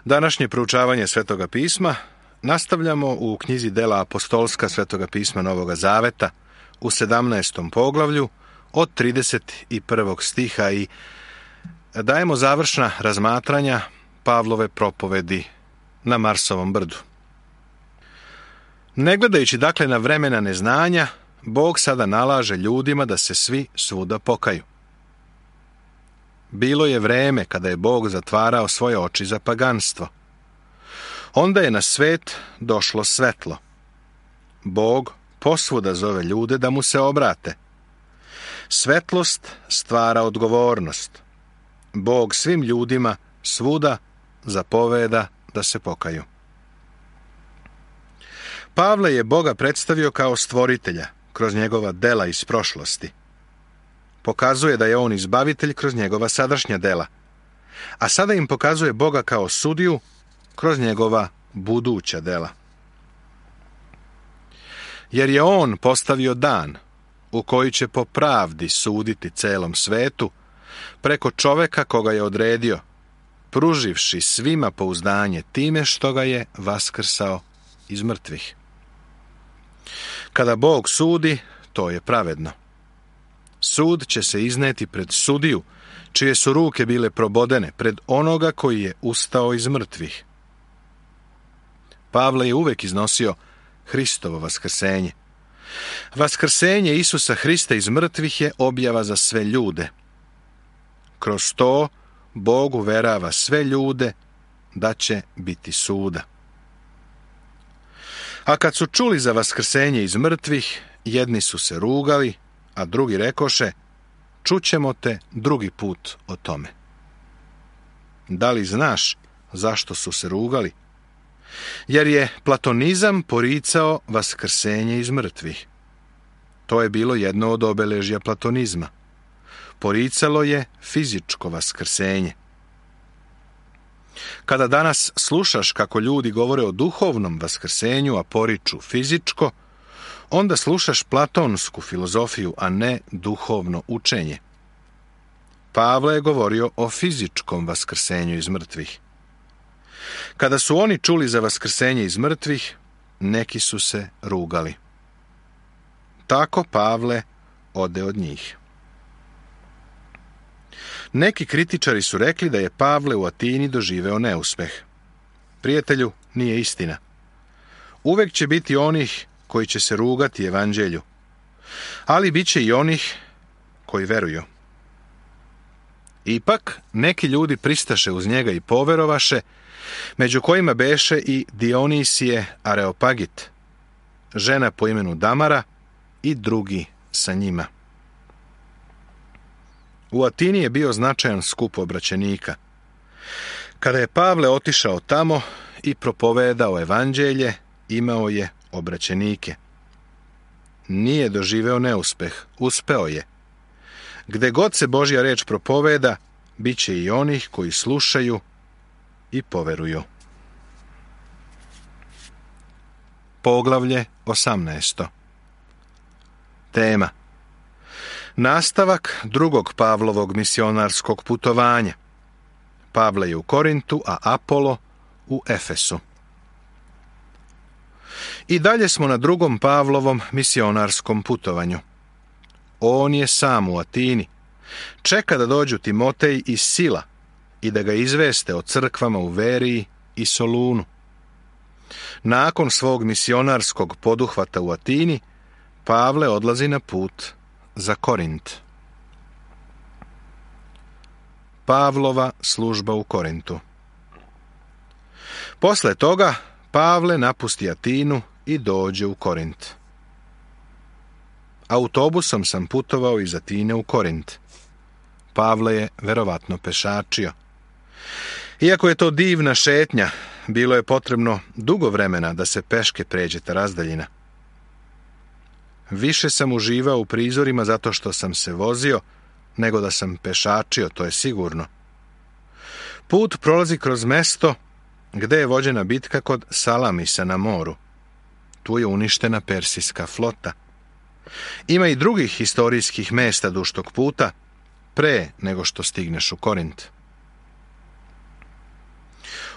Današnje proučavanje Svetoga pisma nastavljamo u knjizi Dela apostolska Svetoga pisma Novoga Zaveta u 17. poglavlju od 31. stiha i dajemo završna razmatranja Pavlove propovedi na Marsovom brdu. Ne gledajući dakle na vremena neznanja, Bog sada nalaže ljudima da se svi svuda pokaju. Bilo je vreme kada je Bog zatvarao svoje oči za paganstvo. Onda je na svet došlo svetlo. Bog posvuda zove ljude da mu se obrate. Svetlost stvara odgovornost. Bog svim ljudima svuda zapoveda da se pokaju. Pavle je Boga predstavio kao stvoritelja kroz njegova dela iz prošlosti. Pokazuje da je on izbavitelj kroz njegova sadašnja dela, a sada im pokazuje Boga kao sudiju kroz njegova buduća dela. Jer je on postavio dan u koji će po pravdi suditi celom svetu preko čoveka koga je odredio, pruživši svima pouzdanje time što ga je vaskrsao iz mrtvih. Kada Bog sudi, to je pravedno. Sud će se izneti pred sudiju, čije su ruke bile probodene, pred onoga koji je ustao iz mrtvih. Pavle je uvek iznosio Hristovo vaskrsenje. Vaskrsenje Isusa Hrista iz mrtvih je objava za sve ljude. Kroz to Bog uverava sve ljude da će biti suda. A kad su čuli za vaskrsenje iz mrtvih, jedni su se rugali, a drugi rekoše, čućemo te drugi put o tome. Da li znaš zašto su se rugali? Jer je platonizam poricao vaskrsenje iz mrtvih. To je bilo jedno od obeležja platonizma. Poricalo je fizičko vaskrsenje. Kada danas slušaš kako ljudi govore o duhovnom vaskrsenju, a poriču fizičko, onda slušaš platonsku filozofiju, a ne duhovno učenje. Pavle je govorio o fizičkom vaskrsenju iz mrtvih. Kada su oni čuli za vaskrsenje iz mrtvih, neki su se rugali. Tako Pavle ode od njih. Neki kritičari su rekli da je Pavle u Atini doživeo neuspeh. Prijatelju, nije istina. Uvek će biti onih koji će se rugati evanđelju, ali bit će i onih koji veruju. Ipak, neki ljudi pristaše uz njega i poverovaše, među kojima beše i Dionisije Areopagit, žena po imenu Damara i drugi sa njima. U Atini je bio značajan skup obraćenika. Kada je Pavle otišao tamo i propovedao evanđelje, imao je obraćenike. Nije doživeo neuspeh, uspeo je. Gde god se Božja reč propoveda, bit će i onih koji slušaju i poveruju. Poglavlje 18. Tema: nastavak drugog Pavlovog misionarskog putovanja. Pavle je u Korintu, a Apolo u Efesu. I dalje smo na drugom Pavlovom misionarskom putovanju. On je sam u Atini. Čeka da dođu Timotej i Sila i da ga izveste o crkvama u Veriji i Solunu. Nakon svog misionarskog poduhvata u Atini, Pavle odlazi na put za Korint. Pavlova služba u Korintu. Posle toga Pavle napusti Atinu i dođe u Korint. Autobusom sam putovao iz Atine u Korint. Pavle je verovatno pešačio. Iako je to divna šetnja, bilo je potrebno dugo vremena da se peške pređe ta razdaljina. Više sam uživao u prizorima zato što sam se vozio, nego da sam pešačio, to je sigurno. Put prolazi kroz mesto gde je vođena bitka kod Salamisa na moru. Tu je uništena persijska flota. Ima i drugih historijskih mesta duž tog puta, pre nego što stigneš u Korint.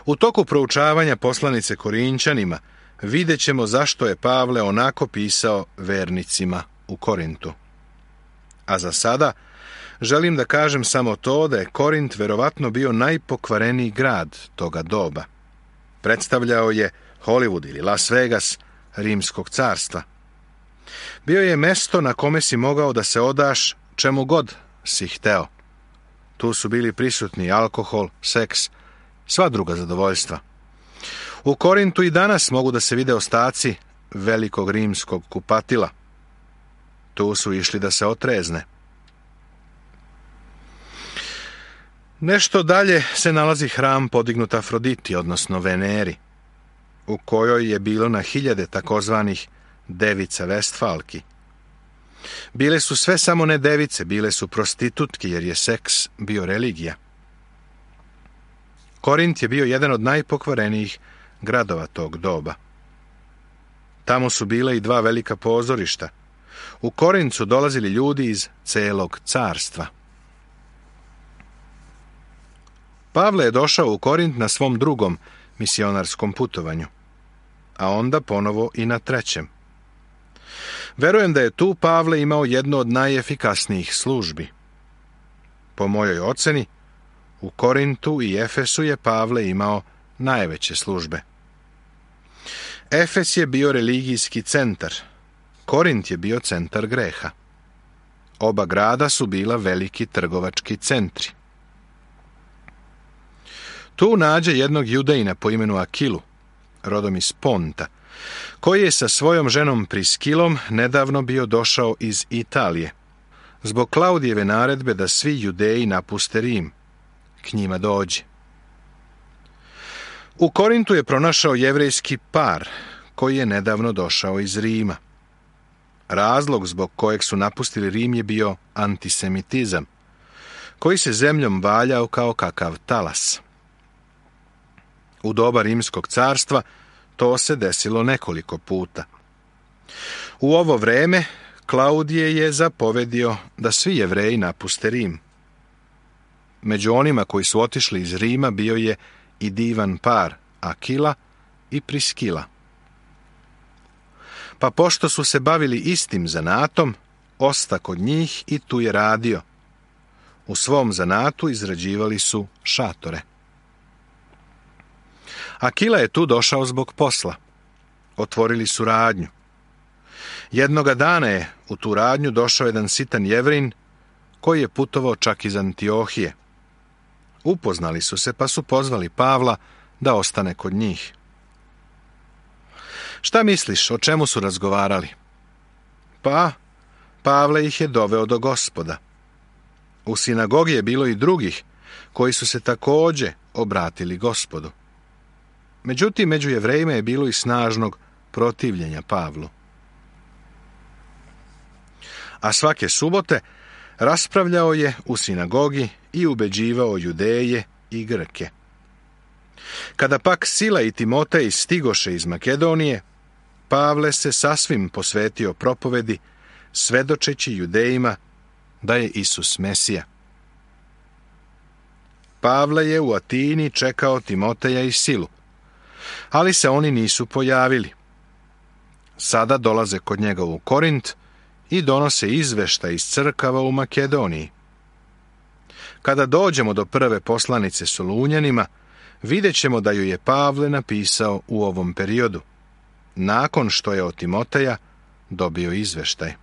U toku proučavanja poslanice Korinćanima vidjet ćemo zašto je Pavle onako pisao vernicima u Korintu. A za sada želim da kažem samo to da je Korint verovatno bio najpokvareniji grad toga doba. Predstavljao je Hollywood ili Las Vegas Rimskog carstva. Bio je mesto na kome si mogao da se odaš čemu god si hteo. Tu su bili prisutni alkohol, seks, sva druga zadovoljstva. U Korintu i danas mogu da se vide ostaci velikog rimskog kupatila. Tu su išli da se otrezne. Nešto dalje se nalazi hram podignut Afroditi, odnosno Veneri, u kojoj je bilo na hiljade takozvanih devica Vestfalki. Bile su sve samo ne device, bile su prostitutke, jer je seks bio religija. Korint je bio jedan od najpokvarenijih gradova tog doba. Tamo su bile i dva velika pozorišta. U Korint su dolazili ljudi iz celog carstva. Pavle je došao u Korint na svom drugom misionarskom putovanju, a onda ponovo i na trećem. Verujem da je tu Pavle imao jednu od najefikasnijih službi. Po mojoj oceni, u Korintu i Efesu je Pavle imao najveće službe. Efes je bio religijski centar, Korint je bio centar greha. Oba grada su bila veliki trgovački centri. Tu nađe jednog Judejina po imenu Akilu, rodom iz Ponta, koji je sa svojom ženom Priskilom nedavno bio došao iz Italije, zbog Klaudijeve naredbe da svi Judeji napuste Rim, k njima dođe. U Korintu je pronašao jevrejski par, koji je nedavno došao iz Rima. Razlog zbog kojeg su napustili Rim je bio antisemitizam, koji se zemljom valjao kao kakav talas. U doba Rimskog carstva to se desilo nekoliko puta. U ovo vreme Klaudije je zapovedio da svi Jevreji napuste Rim. Među onima koji su otišli iz Rima bio je i divan par Akila i Priskila. Pa pošto su se bavili istim zanatom, osta kod njih i tu je radio. U svom zanatu izrađivali su šatore. Akila je tu došao zbog posla. Otvorili su radnju. Jednoga dana je u tu radnju došao jedan sitan Jevrin koji je putovao čak iz Antiohije. Upoznali su se pa su pozvali Pavla da ostane kod njih. Šta misliš, o čemu su razgovarali? Pa, Pavle ih je doveo do Gospoda. U sinagogi je bilo i drugih koji su se također obratili Gospodu. Međutim, među Jevrejima je bilo i snažnog protivljenja Pavlu. A svake subote raspravljao je u sinagogi i ubeđivao Judeje i Grke. Kada pak Sila i Timotej stigoše iz Makedonije, Pavle se sasvim posvetio propovedi, svedočeći Judejima da je Isus Mesija. Pavle je u Atini čekao Timoteja i Silu, ali se oni nisu pojavili. Sada dolaze kod njega u Korint i donose izveštaj iz crkava u Makedoniji. Kada dođemo do prve poslanice Solunjanima, vidjet ćemo da ju je Pavle napisao u ovom periodu, nakon što je od Timoteja dobio izveštaj.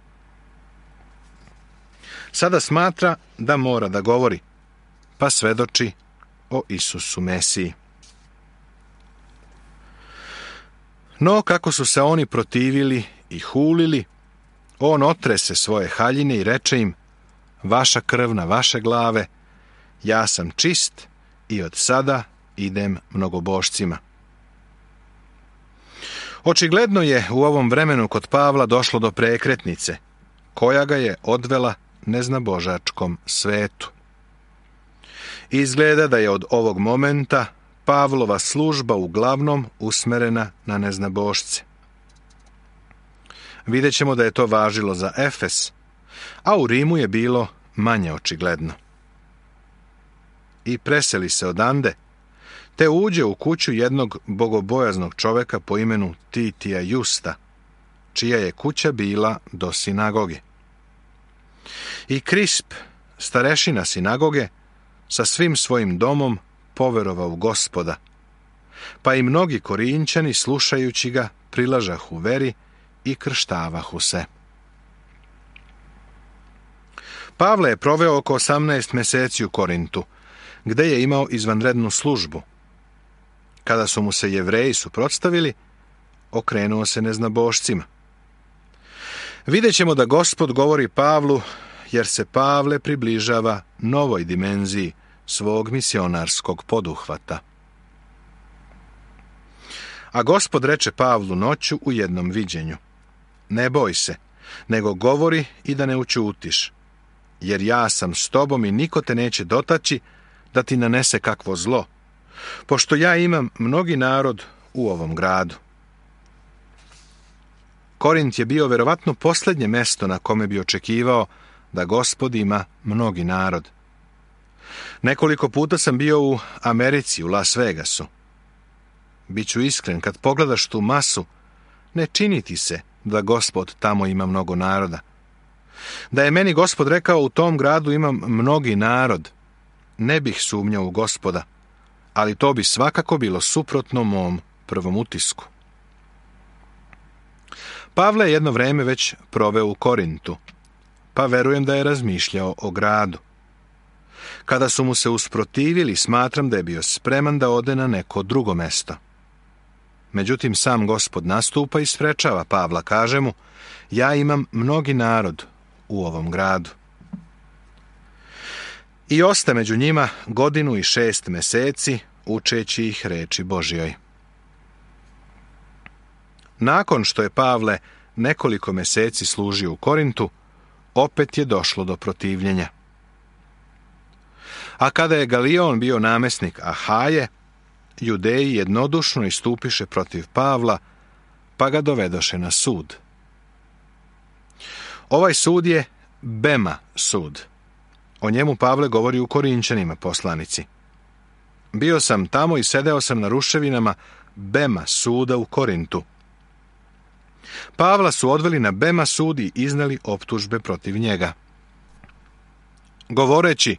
Sada smatra da mora da govori, pa svedoči o Isusu Mesiji. No, kako su se oni protivili i hulili, on otrese svoje haljine i reče im: vaša krv na vaše glave, ja sam čist i od sada idem mnogobošcima. Očigledno je u ovom vremenu kod Pavla došlo do prekretnice, koja ga je odvela neznabožačkom svetu. Izgleda da je od ovog momenta Pavlova služba uglavnom usmerena na neznabošce. Vidjet ćemo da je to važilo za Efes, a u Rimu je bilo manje očigledno. I preseli se odande, te uđe u kuću jednog bogobojaznog čoveka po imenu Titija Justa, čija je kuća bila do sinagoge. I Krisp, starešina sinagoge, sa svim svojim domom poverovao u Gospoda, pa i mnogi Korinćani, slušajući ga, prilažahu veri i krštavahu se. Pavle je proveo oko 18 meseci u Korintu, gde je imao izvanrednu službu. Kada su mu se Jevreji suprotstavili, okrenuo se neznabošcima. Vidjet ćemo da Gospod govori Pavlu, jer se Pavle približava novoj dimenziji svog misionarskog poduhvata. A Gospod reče Pavlu noću u jednom viđenju: ne boj se, nego govori i da ne ućutiš, jer ja sam s tobom i niko te neće dotaći da ti nanese kakvo zlo, pošto ja imam mnogi narod u ovom gradu. Korint je bio verovatno posljednje mesto na kome bi očekivao da Gospod ima mnogi narod. Nekoliko puta sam bio u Americi, u Las Vegasu. Biću iskren, kad pogledaš tu masu, ne čini ti se da Gospod tamo ima mnogo naroda. Da je meni Gospod rekao u tom gradu imam mnogi narod, ne bih sumnjao u Gospoda, ali to bi svakako bilo suprotno mom prvom utisku. Pavle je jedno vreme već proveo u Korintu, pa verujem da je razmišljao o gradu. Kada su mu se usprotivili, smatram da je bio spreman da ode na neko drugo mesto. Međutim, sam Gospod nastupa i sprečava Pavla, kaže mu: ja imam mnogi narod u ovom gradu. I osta među njima 1 godinu i 6 meseci, učeći ih reči Božjoj. Nakon što je Pavle nekoliko meseci služio u Korintu, opet je došlo do protivljenja. A kada je Galion bio namesnik Ahaje, Judeji jednodušno istupiše protiv Pavla, pa ga dovedoše na sud. Ovaj sud je Bema sud. O njemu Pavle govori u Korinćanima poslanici. Bio sam tamo i sedeo sam na ruševinama Bema suda u Korintu. Pavla su odveli na Bema sud i izneli optužbe protiv njega, govoreći: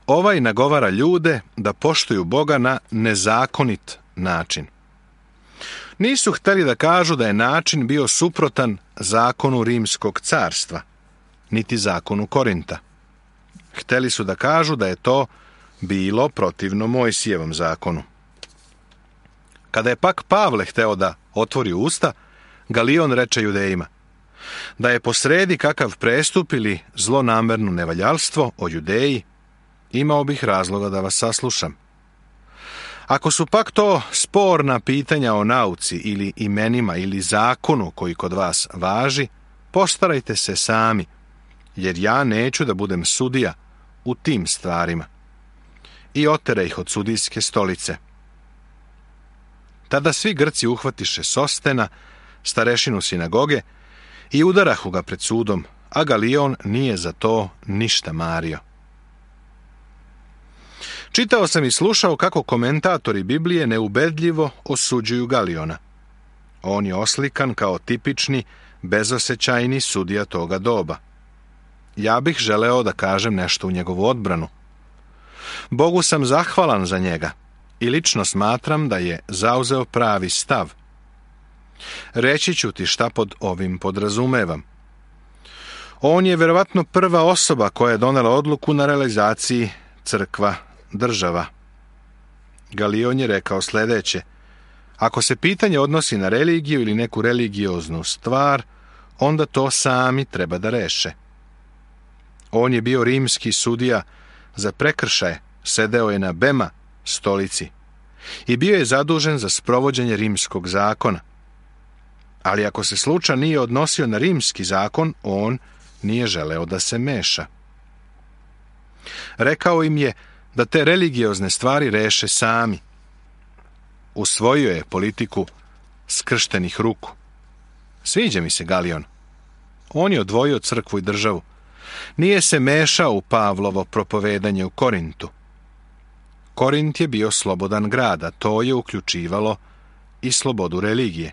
ovaj nagovara ljude da poštuju Boga na nezakonit način. Nisu hteli da kažu da je način bio suprotan zakonu Rimskog carstva, niti zakonu Korinta. Hteli su da kažu da je to bilo protivno Mojsijevom zakonu. Kada je pak Pavle hteo da otvori usta, Galion reče Judejima: da je posredi kakav prestup ili zlonamerno nevaljalstvo o Judeji, imao bih razloga da vas saslušam. Ako su pak to sporna pitanja o nauci ili imenima ili zakonu koji kod vas važi, postarajte se sami, jer ja neću da budem sudija u tim stvarima. I otera ih od sudijske stolice. Tada svi Grci uhvatiše Sostena, starešinu sinagoge, i udarahu ga pred sudom, a Galion nije za to ništa mario. Čitao sam i slušao kako komentatori Biblije neubedljivo osuđuju Galiona. On je oslikan kao tipični, bezosećajni sudija toga doba. Ja bih želeo da kažem nešto u njegovu odbranu. Bogu sam zahvalan za njega i lično smatram da je zauzeo pravi stav. Reći ću ti šta pod ovim podrazumevam. On je verovatno prva osoba koja je donela odluku na realizaciji crkva država. Galion je rekao sljedeće: ako se pitanje odnosi na religiju ili neku religioznu stvar, onda to sami treba da reše. On je bio rimski sudija za prekršaje, sedeo je na Bema stolici i bio je zadužen za sprovođenje rimskog zakona. Ali ako se slučaj nije odnosio na rimski zakon, on nije želeo da se meša. Rekao im je da te religiozne stvari reše sami. Usvojio je politiku skrštenih ruku. Sviđa mi se Galion. On je odvojio crkvu i državu. Nije se mešao u Pavlovo propovedanje u Korintu. Korint je bio slobodan grad, a to je uključivalo i slobodu religije.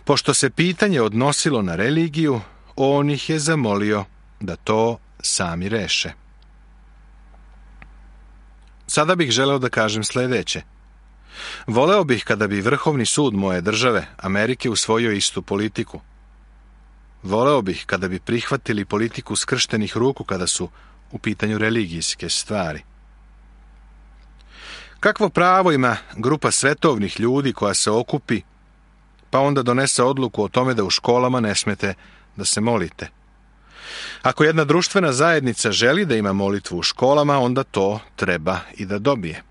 Pošto se pitanje odnosilo na religiju, on ih je zamolio da to sami reše. Sada bih želeo da kažem sljedeće. Voleo bih kada bi Vrhovni sud moje države, Amerike, usvojio istu politiku. Voleo bih kada bi prihvatili politiku skrštenih ruku kada su u pitanju religijske stvari. Kakvo pravo ima grupa svetovnih ljudi koja se okupi, pa onda donese odluku o tome da u školama ne smete da se molite? Ako jedna društvena zajednica želi da ima molitvu u školama, onda to treba i da dobije.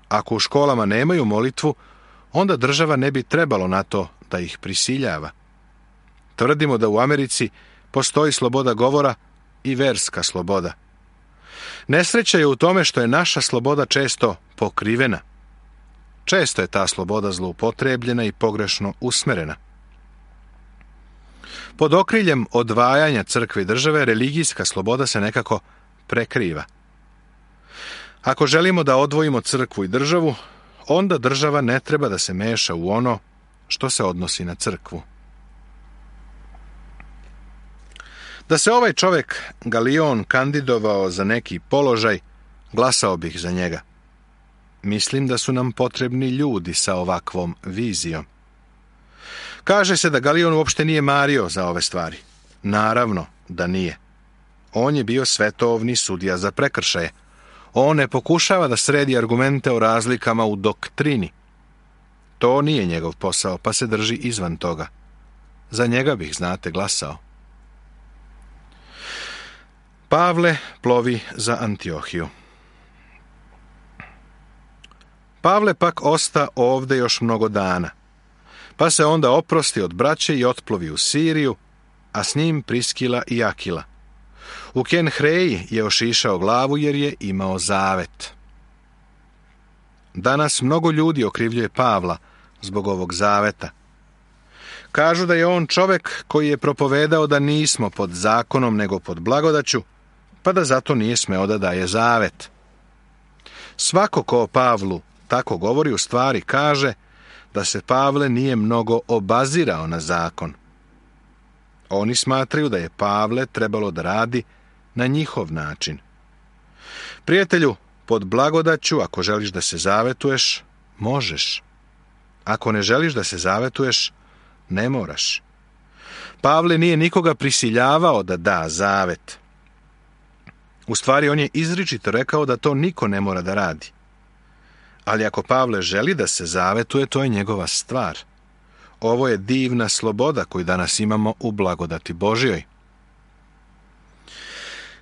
Ako u školama nemaju molitvu, onda država ne bi trebalo na to da ih prisiljava. Tvrdimo da u Americi postoji sloboda govora i verska sloboda. Nesreća je u tome što je naša sloboda često pokrivena. Često je ta sloboda zloupotrebljena i pogrešno usmerena. Pod okriljem odvajanja crkve i države, religijska sloboda se nekako prekriva. Ako želimo da odvojimo crkvu i državu, onda država ne treba da se meša u ono što se odnosi na crkvu. Da se ovaj čovjek Galion kandidovao za neki položaj, glasao bih za njega. Mislim da su nam potrebni ljudi sa ovakvom vizijom. Kaže se da Galion uopšte nije mario za ove stvari. Naravno da nije. On je bio svetovni sudija za prekršaje. On ne pokušava da sredi argumente o razlikama u doktrini. To nije njegov posao, pa se drži izvan toga. Za njega bih, znate, glasao. Pavle plovi za Antiohiju. Pavle pak osta ovde još mnogo dana, pa se onda oprosti od braće i otplovi u Siriju, a s njim Priskila i Akila. U Kenhreji je ošišao glavu jer je imao zavet. Danas mnogo ljudi okrivljuje Pavla zbog ovog zaveta. Kažu da je on čovjek koji je propovedao da nismo pod zakonom nego pod blagodaću, pa da zato nije smeo da daje zavet. Svako ko o Pavlu tako govori u stvari kaže da se Pavle nije mnogo obazirao na zakon. Oni smatraju da je Pavle trebalo da radi na njihov način. Prijatelju, pod blagodaću, ako želiš da se zavetuješ, možeš. Ako ne želiš da se zavetuješ, ne moraš. Pavle nije nikoga prisiljavao da da zavet. U stvari, on je izričito rekao da to niko ne mora da radi. Ali ako Pavle želi da se zavetuje, to je njegova stvar. Ovo je divna sloboda koju danas imamo u blagodati Božjoj.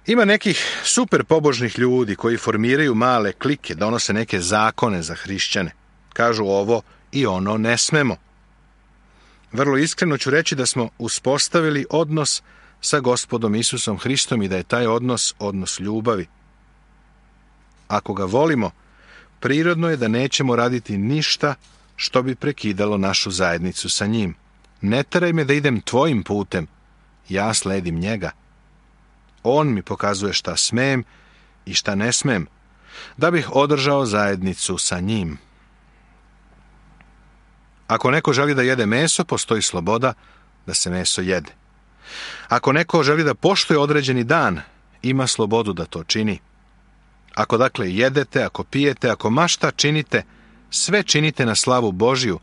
Ima nekih super pobožnih ljudi koji formiraju male klike, donose neke zakone za hrišćane. Kažu ovo i ono ne smemo. Vrlo iskreno ću reći da smo uspostavili odnos sa Gospodom Isusom Hristom i da je taj odnos ljubavi. Ako ga volimo, prirodno je da nećemo raditi ništa što bi prekidalo našu zajednicu sa njim. Ne teraj me da idem tvojim putem, ja sledim njega. On mi pokazuje šta smem i šta ne smem, da bih održao zajednicu sa njim. Ako neko želi da jede meso, postoji sloboda da se meso jede. Ako neko želi da poštuje određeni dan, ima slobodu da to čini. Ako dakle jedete, ako pijete, ako ma šta činite, sve činite na slavu Božiju,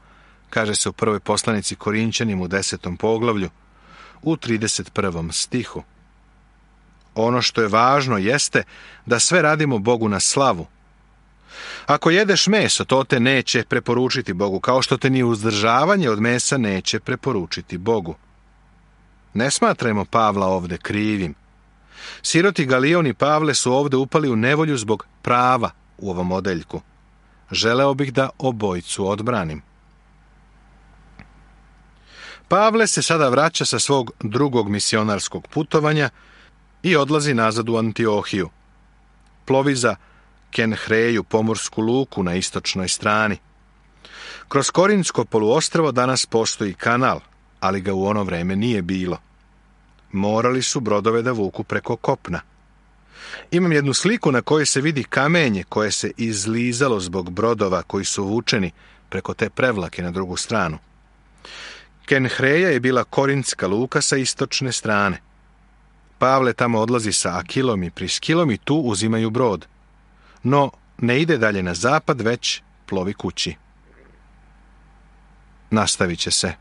kaže se u prvoj poslanici Korinćanima u 10. poglavlju, u 31. stihu. Ono što je važno jeste da sve radimo Bogu na slavu. Ako jedeš meso, to te neće preporučiti Bogu, kao što te ni uzdržavanje od mesa neće preporučiti Bogu. Ne smatrajmo Pavla ovde krivim. Siroti Galion i Pavle su ovde upali u nevolju zbog prava u ovom odeljku. Želeo bih da obojcu odbranim. Pavle se sada vraća sa svog drugog misionarskog putovanja i odlazi nazad u Antiohiju. Plovi za Kenhreju, pomorsku luku na istočnoj strani. Kroz Korinsko poluostrvo danas postoji kanal, ali ga u ono vreme nije bilo. Morali su brodove da vuku preko kopna. Imam jednu sliku na kojoj se vidi kamenje koje se izlizalo zbog brodova koji su vučeni preko te prevlake na drugu stranu. Kenhreja je bila korintska luka sa istočne strane. Pavle tamo odlazi sa Akilom i Priskilom i tu uzimaju brod. No, ne ide dalje na zapad, već plovi kući. Nastavit će se.